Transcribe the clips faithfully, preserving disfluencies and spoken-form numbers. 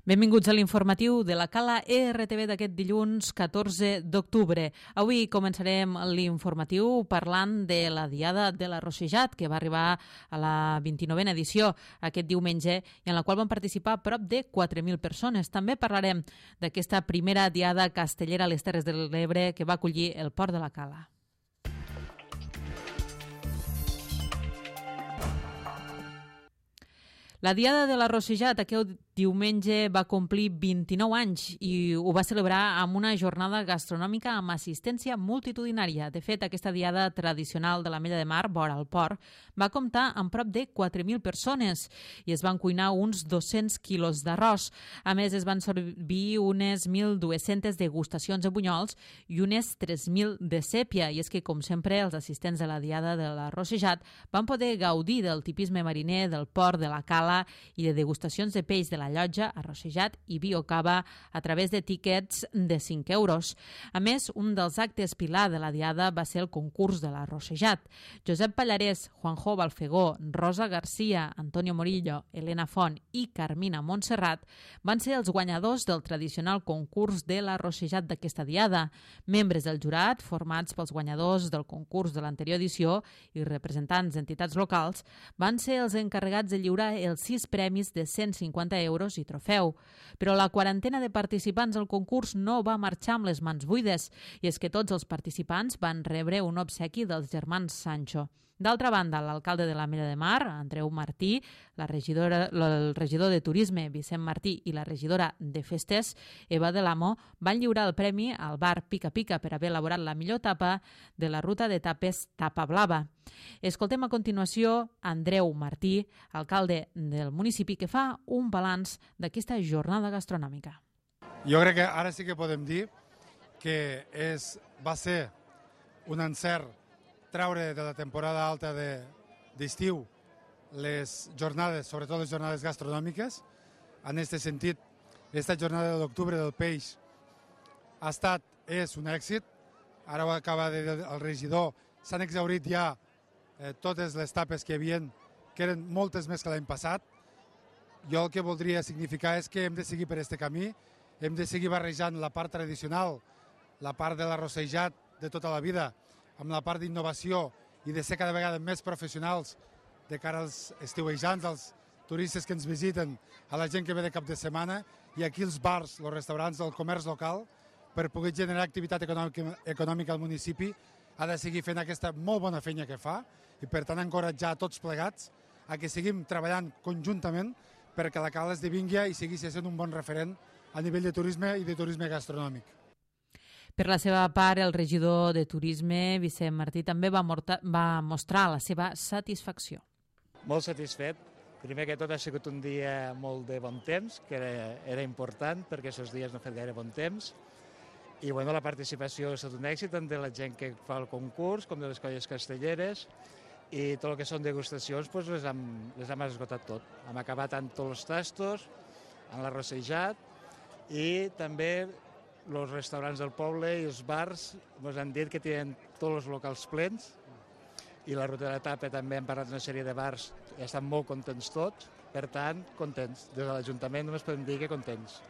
Benvinguts a l'informatiu de la Cala E R T V d'aquest dilluns catorze d'octubre. Avui començarem l'informatiu parlant de la Diada de la Rossejat, que va arribar a la vint-i-novena edició aquest diumenge i en la qual van participar prop de quatre mil persones. També parlarem d'aquesta primera Diada castellera a les Terres de l'Ebre que va acollir el Port de la Cala. La Diada de la Rossejat aquest diumenge va complir vint-i-nou anys i ho va celebrar amb una jornada gastronòmica amb assistència multitudinària. De fet, aquesta diada tradicional de l'Ametlla de Mar, vora el port, va comptar amb prop de quatre mil persones i es van cuinar uns dos-cents quilos d'arròs. A més, es van servir unes mil dues-centes degustacions de bunyols i unes tres mil de sèpia. I és que, com sempre, els assistents de la Diada de la Rossejat van poder gaudir del tipisme mariner, del port, de la cala i de degustacions de peix de la llotja, arrossejat i biocava a través de tíquets de cinc euros. A més, un dels actes pilar de la Diada va ser el concurs de l'arrossejat. Josep Pallarès, Juanjo Balfegó, Rosa Garcia, Antonio Morillo, Elena Font i Carmina Montserrat van ser els guanyadors del tradicional concurs de l'arrossejat d'aquesta Diada. Membres del jurat, formats pels guanyadors del concurs de l'anterior edició i representants d'entitats locals, van ser els encarregats de lliurar els sis premis de cent cinquanta euros i trofeu. Però la quarantena de participants al concurs no va marxar amb les mans buides, i és que tots els participants van rebre un obsequi dels germans Sancho. D'altra banda, l'alcalde de l'Ametlla de Mar, Andreu Martí, la regidora, el regidor de Turisme, Vicent Martí, i la regidora de Festes, Eva de l'Amo, van lliurar el premi al bar Pica Pica per haver elaborat la millor tapa de la ruta de tapes Tapa Blava. Escoltem a continuació Andreu Martí, alcalde del municipi, que fa un balanç d'aquesta jornada gastronòmica. Jo crec que ara sí que podem dir que és, va ser un encert treure de la temporada alta d'estiu de, les jornades, sobretot les jornades gastronòmiques. En aquest sentit, aquesta jornada de l'octubre del peix ha estat, és un èxit. Ara ho acaba de dir el regidor, s'han exhaurit ja eh, totes les tapes que hi havia, que eren moltes més que l'any passat. Jo el que voldria significar és que hem de seguir per aquest camí, hem de seguir barrejant la part tradicional, la part de l'arrossejat de tota la vida, amb la part d'innovació i de ser cada vegada més professionals de cara als estiuejants, als turistes que ens visiten, a la gent que ve de cap de setmana, i aquí els bars, els restaurants, el comerç local, per poder generar activitat econòmica, econòmica al municipi, ha de seguir fent aquesta molt bona feina que fa i per tant encoratjar a tots plegats a que seguim treballant conjuntament perquè la Cala esdevingui i sigui sent un bon referent a nivell de turisme i de turisme gastronòmic. Per la seva part, el regidor de Turisme, Vicent Martí, també va, morta, va mostrar la seva satisfacció. Molt satisfet. Primer que tot ha sigut un dia molt de bon temps, que era, era important perquè aquests dies no ha fet gaire bon temps. I bueno, la participació ha estat un èxit tant de la gent que fa el concurs com de les colles castelleres, i tot el que són degustacions doncs les, hem, les hem esgotat tot. Hem acabat amb tots els tastos, amb l'arrossejat, i també els restaurants del poble i els bars ens han dit que tenen tots els locals plens, i la ruta de tapa també hem parlat d'una sèrie de bars i estan molt contents tots, per tant, contents. Des de l'Ajuntament només podem dir que contents.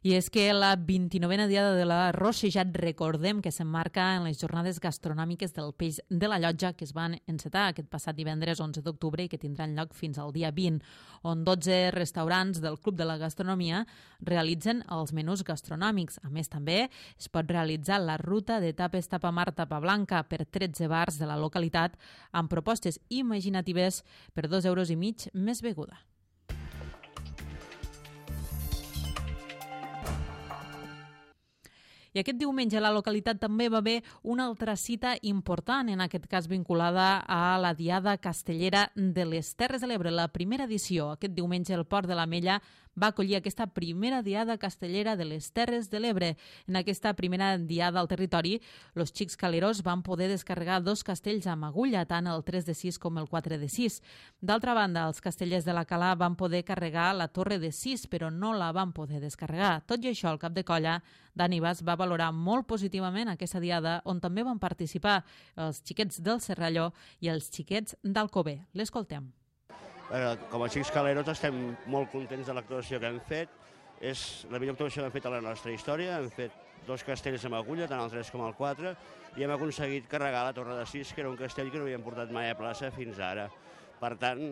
I és que la vint-i-novena Diada de la Rossejat, recordem que s'emmarca en les jornades gastronòmiques del peix de la llotja que es van encetar aquest passat divendres onze d'octubre i que tindran lloc fins al dia vint, on dotze restaurants del Club de la Gastronomia realitzen els menús gastronòmics. A més, també es pot realitzar la ruta de tapes Tapa Mar Tapa Blanca per tretze bars de la localitat amb propostes imaginatives per dos euros i mig més beguda. I aquest diumenge a la localitat també va haver una altra cita important, en aquest cas vinculada a la Diada Castellera de les Terres de l'Ebre, la primera edició. Aquest diumenge el Port de l'Ametlla va acollir aquesta primera Diada Castellera de les Terres de l'Ebre. En aquesta primera Diada al territori, els xics caleros van poder descarregar dos castells amb agulla, tant el tres de sis com el quatre de sis. D'altra banda, els castellers de la Cala van poder carregar la torre de sis, però no la van poder descarregar. Tot i això, el cap de colla, Dani Bas, va valorar molt positivament aquesta diada, on també van participar els xiquets del Serralló i els xiquets d'Alcover. L'escoltem. Com a xics caleros estem molt contents de l'actuació que hem fet. És la millor actuació que hem fet a la nostra història. Hem fet dos castells amb agulla, tant el tres com el quatre, i hem aconseguit carregar la Torre de Sis, que era un castell que no havíem portat mai a plaça fins ara. Per tant,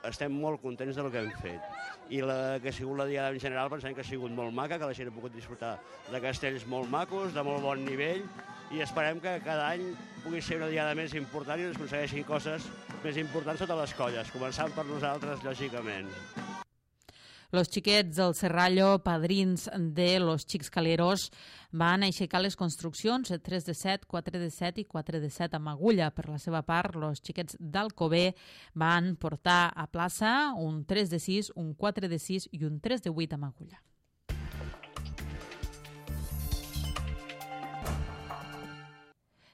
estem molt contents del que hem fet. I la que ha sigut la diada en general pensem que ha sigut molt maca, que la gent ha pogut disfrutar de castells molt macos, de molt bon nivell, i esperem que cada any pugui ser una diada més important i ens aconsegueixin coses més importants totes les colles, començant per nosaltres, lògicament. Los xiquets del Serrallo, padrins de los Xics Caleros, van aixecar les construccions tres de set, quatre de set i quatre de set amb agulla. Per la seva part, los xiquets d'Alcover van portar a plaça un tres de sis, un quatre de sis i un tres de vuit amb agulla.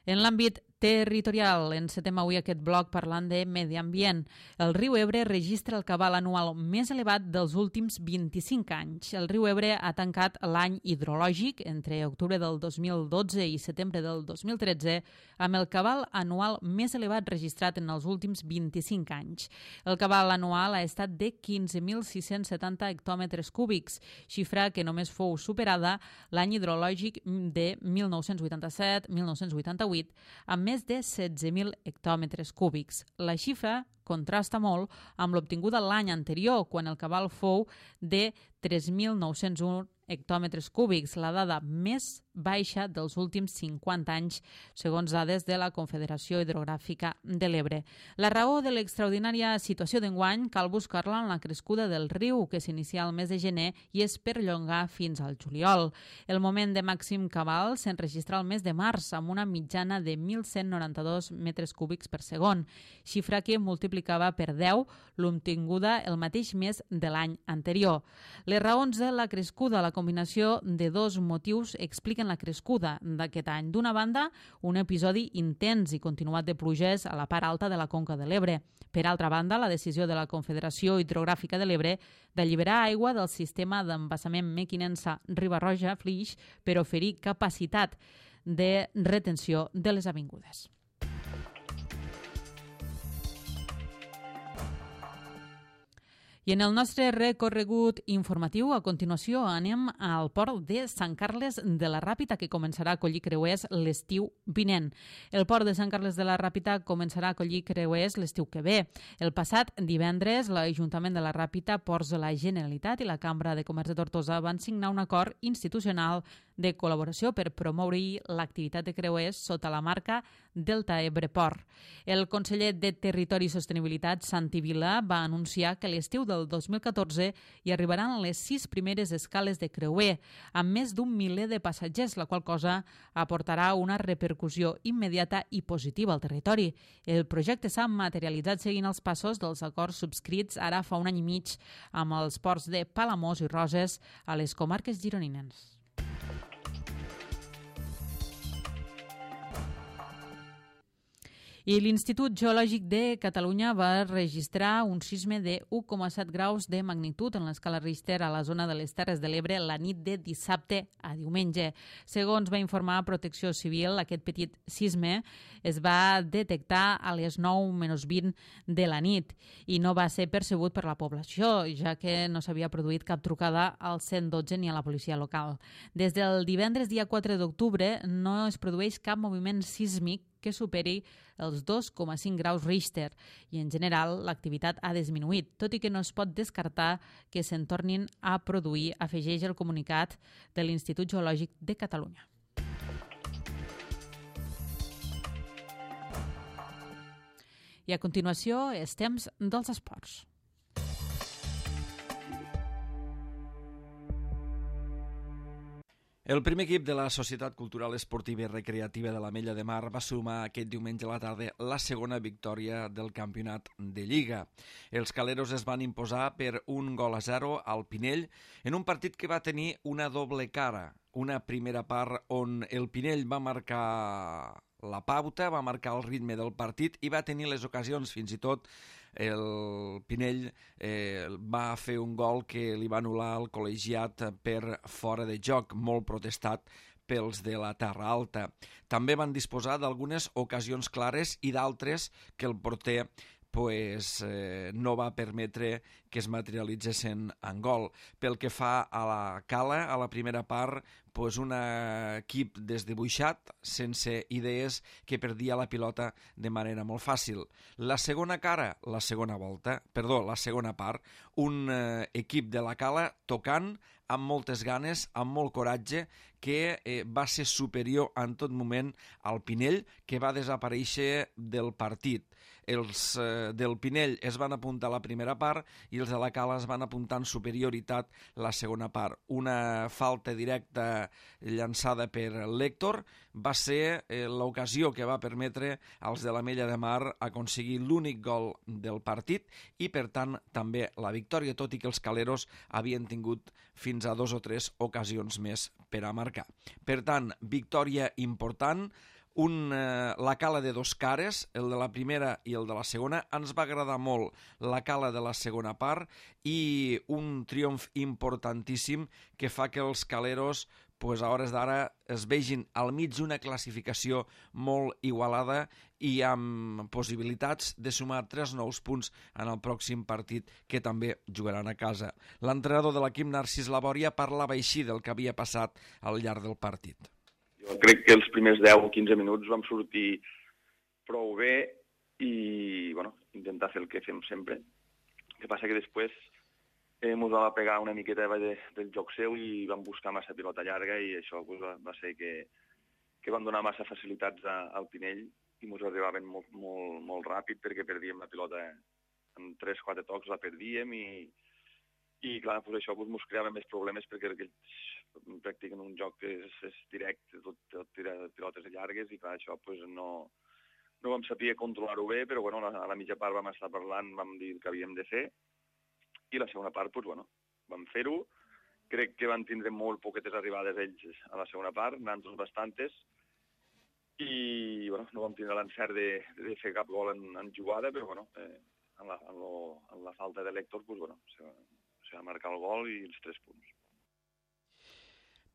En l'àmbit territorial, encetem avui aquest bloc parlant de medi ambient. El riu Ebre registra el cabal anual més elevat dels últims vint-i-cinc anys. El riu Ebre ha tancat l'any hidrològic entre octubre del dos mil dotze i setembre del dos mil tretze amb el cabal anual més elevat registrat en els últims vint-i-cinc anys. El cabal anual ha estat de quinze mil sis-cents setanta hectòmetres cúbics, xifra que només fou superada l'any hidrològic de mil nou-cents vuitanta-set mil nou-cents vuitanta-vuit amb més de setze mil hectòmetres cúbics. La xifra contrasta molt amb l'obtinguda l'any anterior, quan el cabal fou de tres mil nou-cents un hectòmetres cúbics, la dada més baixa dels últims cinquanta anys, segons dades de la Confederació Hidrogràfica de l'Ebre. La raó de l'extraordinària situació d'enguany cal buscar-la en la crescuda del riu, que s'inicia al mes de gener i es perllonga fins al juliol. El moment de màxim cabal s'enregistra al mes de març, amb una mitjana de mil cent noranta-dos metres cúbics per segon, xifra que multiplicava per deu l'obtinguda el mateix mes de l'any anterior. Les raons de la crescuda, la combinació de dos motius expliquen la crescuda d'aquest any. D'una banda, un episodi intens i continuat de pluges a la part alta de la conca de l'Ebre. Per altra banda, la decisió de la Confederació Hidrogràfica de l'Ebre d'alliberar aigua del sistema d'embassament Mequinensa-Riba-roja-Flix per oferir capacitat de retenció de les avingudes. I en el nostre recorregut informatiu, a continuació, anem al port de Sant Carles de la Ràpita, que començarà a acollir creuers l'estiu vinent. El port de Sant Carles de la Ràpita començarà a acollir creuers l'estiu que ve. El passat divendres, l'Ajuntament de la Ràpita, Ports de la Generalitat i la Cambra de Comerç de Tortosa van signar un acord institucional de col·laboració per promoure l'activitat de creuers sota la marca Delta Ebre Port. El conseller de Territori i Sostenibilitat, Santi Vila, va anunciar que l'estiu del dos mil catorze hi arribaran les sis primeres escales de creuer, amb més d'un miler de passatgers, la qual cosa aportarà una repercussió immediata i positiva al territori. El projecte s'ha materialitzat seguint els passos dels acords subscrits ara fa un any i mig amb els ports de Palamós i Roses a les comarques gironines. I l'Institut Geològic de Catalunya va registrar un sisme de u coma set graus de magnitud en l'escala Richter a la zona de les Terres de l'Ebre la nit de dissabte a diumenge. Segons va informar Protecció Civil, aquest petit sisme es va detectar a les nou menys vint de la nit i no va ser percebut per la població, ja que no s'havia produït cap trucada al cent dotze ni a la policia local. Des del divendres dia quatre d'octubre no es produeix cap moviment sísmic que superi els dos coma cinc graus Richter i, en general, l'activitat ha disminuït, tot i que no es pot descartar que se'n tornin a produir, afegeix el comunicat de l'Institut Geològic de Catalunya. I a continuació, els temps dels esports. El primer equip de la Societat Cultural Esportiva i Recreativa de l'Ametlla de Mar va sumar aquest diumenge a la tarda la segona victòria del campionat de Lliga. Els caleros es van imposar per un gol a zero al Pinell en un partit que va tenir una doble cara. Una primera part on el Pinell va marcar la pauta, va marcar el ritme del partit i va tenir les ocasions, fins i tot el Pinell eh, va fer un gol que li va anul·lar el col·legiat per fora de joc, molt protestat pels de la Terra Alta. També van disposar d'algunes ocasions clares i d'altres que el porter pues, eh, no va permetre que es materialitzessin en gol. Pel que fa a la Cala, a la primera part, pues un equip desdibuixat, sense idees, que perdia la pilota de manera molt fàcil. La segona cara, la segona volta, perdó, la segona part, un eh, equip de la Cala tocant amb moltes ganes, amb molt coratge, que eh, va ser superior en tot moment al Pinell, que va desaparèixer del partit. Els eh, del Pinell es van apuntar a la primera part i els de la Cala es van apuntar en superioritat la segona part. Una falta directa llançada per l'Héctor va ser eh, l'ocasió que va permetre als de l'Ametlla de Mar aconseguir l'únic gol del partit i, per tant, també la victòria, tot i que els caleros havien tingut fins a dos o tres ocasions més per a marcar. Per tant, victòria important, un, eh, la Cala de dos cares, el de la primera i el de la segona. Ens va agradar molt la Cala de la segona part i un triomf importantíssim que fa que els caleros pues, a hores d'ara es vegin al mig d'una classificació molt igualada i amb possibilitats de sumar tres nous punts en el pròxim partit que també jugaran a casa. L'entrenador de l'equip, Narcís Labòria, parlava així del que havia passat al llarg del partit. Jo crec que els primers deu o quinze minuts vam sortir prou bé i bueno, intentar fer el que fem sempre. El que passa que després eh, ens va pegar una miqueta de, del joc seu i vam buscar massa pilota llarga i això pues, va, va ser que, que vam donar massa facilitats a, al Pinell i ens arribaven molt, molt, molt ràpid perquè perdíem la pilota en tres o quatre tocs, la perdíem i, i clar, pues això pues, ens creava més problemes perquè aquells practiquen un joc que és, és directe, tot, tot tira pilotes llargues i clar, això pues, no, no vam saber controlar-ho bé, però bueno, a la, a la mitja part vam estar parlant, vam dir el que havíem de fer i la segona part, pues, bueno, vam fer-ho. Crec que van tindre molt poquetes arribades ells a la segona part, nosaltres bastantes, i bueno, no vam tindre l'encert de, de fer cap gol en, en jugada, però bueno, eh, en, la, en, lo, en la falta de l'Héctor, pues, bueno, se, se va marcar el gol i els tres punts.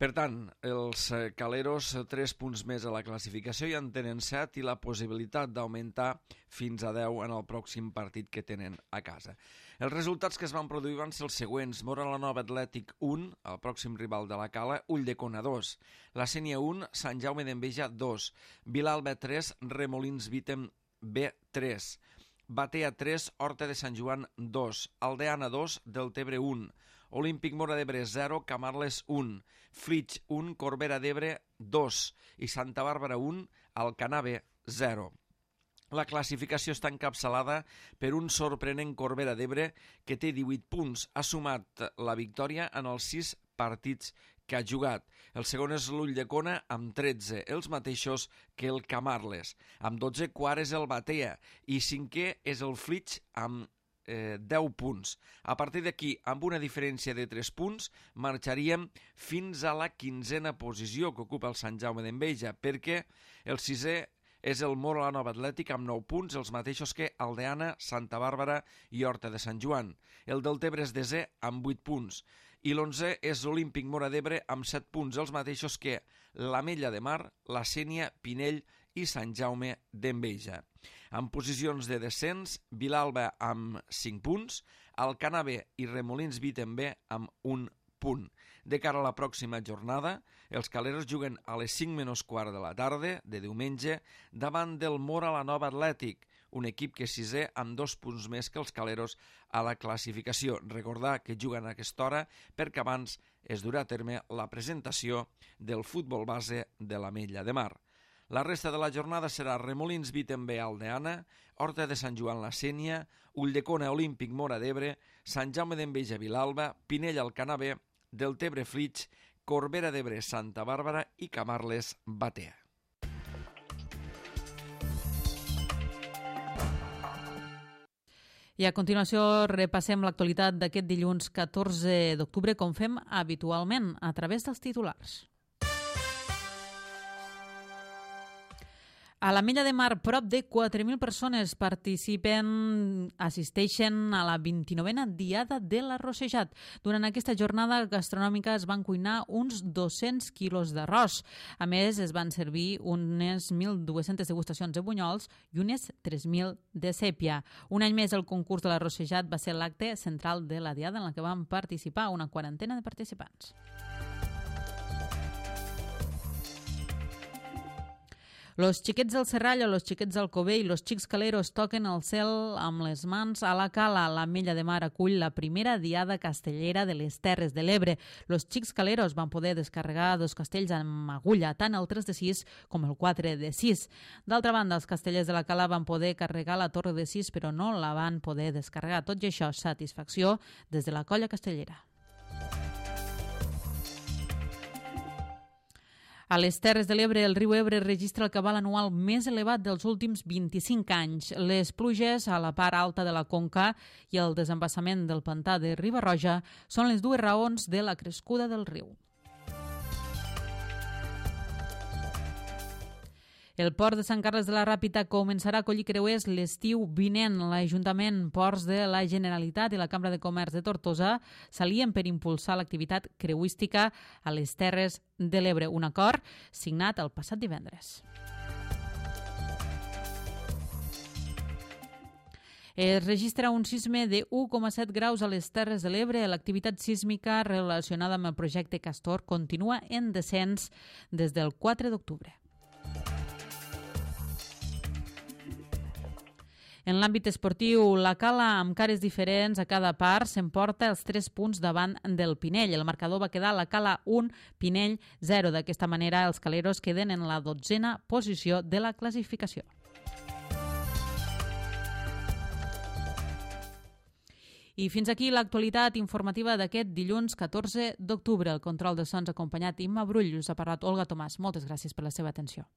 Per tant, els caleros tres punts més a la classificació i en tenen set i la possibilitat d'augmentar fins a deu en el pròxim partit que tenen a casa. Els resultats que es van produir van ser els següents. Móra la Nova Atlètic un, el pròxim rival de la Cala, Ulldecona dos, la Sénia un, Sant Jaume d'Enveja dos, Vilalba tres, Remolins Vítem B tres, Batea tres, Horta de Sant Joan dos, Aldeana dos, Deltebre un, Olímpic Móra d'Ebre zero, Camarles un, Flix un, Corbera d'Ebre dos i Santa Bàrbara un, Alcanave zero. La classificació està encapçalada per un sorprenent Corbera d'Ebre que té divuit punts. Ha sumat la victòria en els sis partits que ha jugat. El segon és l'Ulldecona amb tretze, els mateixos que el Camarles. Amb dotze, quart és el Batea i cinquè és el Flix amb Eh, deu punts. A partir d'aquí, amb una diferència de tres punts, marxaríem fins a la quinzena posició que ocupa el Sant Jaume d'Enveja, perquè el sisè és el Móra la Nova Atlètic amb nou punts, els mateixos que Aldeana, Santa Bàrbara i Horta de Sant Joan. El Deltebre és desè amb vuit punts i l'onzè és l'Olímpic Móra d'Ebre amb set punts, els mateixos que l'Ametlla de Mar, la Sénia, Pinell i Sant Jaume d'Enveja. En posicions de descens, Vilalba amb cinc punts, Alcanave i Remolins Vítem B amb un punt. De cara a la pròxima jornada, els caleros juguen a les cinc menys quart de la tarda de diumenge davant del Móra la Nova Atlètic, un equip que és sisè amb dos punts més que els caleros a la classificació. Recordar que juguen a aquesta hora perquè abans es durà a terme la presentació del futbol base de l'Ametlla de Mar. La resta de la jornada serà Remolins Vítem B Aldeana, Horta de Sant Joan la Sénia, Ulldecona Olímpic Móra d'Ebre, Sant Jaume d'Enveja Vilalba, Pinell Alcanave, Deltebre Flix, Corbera d'Ebre Santa Bàrbara i Camarles Batea. I a continuació repassem l'actualitat d'aquest dilluns catorze d'octubre com fem habitualment a través dels titulars. A l'Ametlla de Mar, prop de quatre mil persones participen, assisteixen a la vint-i-novena Diada de l'Arrossejat. Durant aquesta jornada gastronòmica es van cuinar uns dos-cents quilos d'arròs. A més, es van servir unes mil dues-centes degustacions de bunyols i unes tres mil de sèpia. Un any més, el concurs de l'Arrossejat va ser l'acte central de la Diada en la que van participar una quarantena de participants. Los xiquets del Serrallo, los xiquets del Covell i los xics caleros toquen el cel amb les mans a la cala. L'Ametlla de Mar acull la primera diada castellera de les Terres de l'Ebre. Los xics caleros van poder descarregar dos castells amb agulla, tant el tres de sis com el quatre de sis. D'altra banda, els castellers de la cala van poder carregar la torre de sis, però no la van poder descarregar. Tot i això, satisfacció des de la colla castellera. A les Terres de l'Ebre, el riu Ebre registra el cabal anual més elevat dels últims vint-i-cinc anys. Les pluges a la part alta de la conca i el desembassament del pantà de Riba-roja són les dues raons de la crescuda del riu. El port de Sant Carles de la Ràpita començarà a acollir creuers l'estiu vinent. L'Ajuntament, Ports de la Generalitat i la Cambra de Comerç de Tortosa s'alien per impulsar l'activitat creuística a les Terres de l'Ebre, un acord signat el passat divendres. Es registra un sisme de u coma set graus a les Terres de l'Ebre. L'activitat sísmica relacionada amb el projecte Castor continua en descens des del quatre d'octubre. En l'àmbit esportiu, la Cala, amb cares diferents a cada part, s'emporta els tres punts davant del Pinell. El marcador va quedar la Cala un, Pinell zero. D'aquesta manera, els caleros queden en la dotzena posició de la classificació. I fins aquí l'actualitat informativa d'aquest dilluns catorze d'octubre. El control de sons acompanyat Imma Brull. Us ha parlat Olga Tomàs. Moltes gràcies per la seva atenció.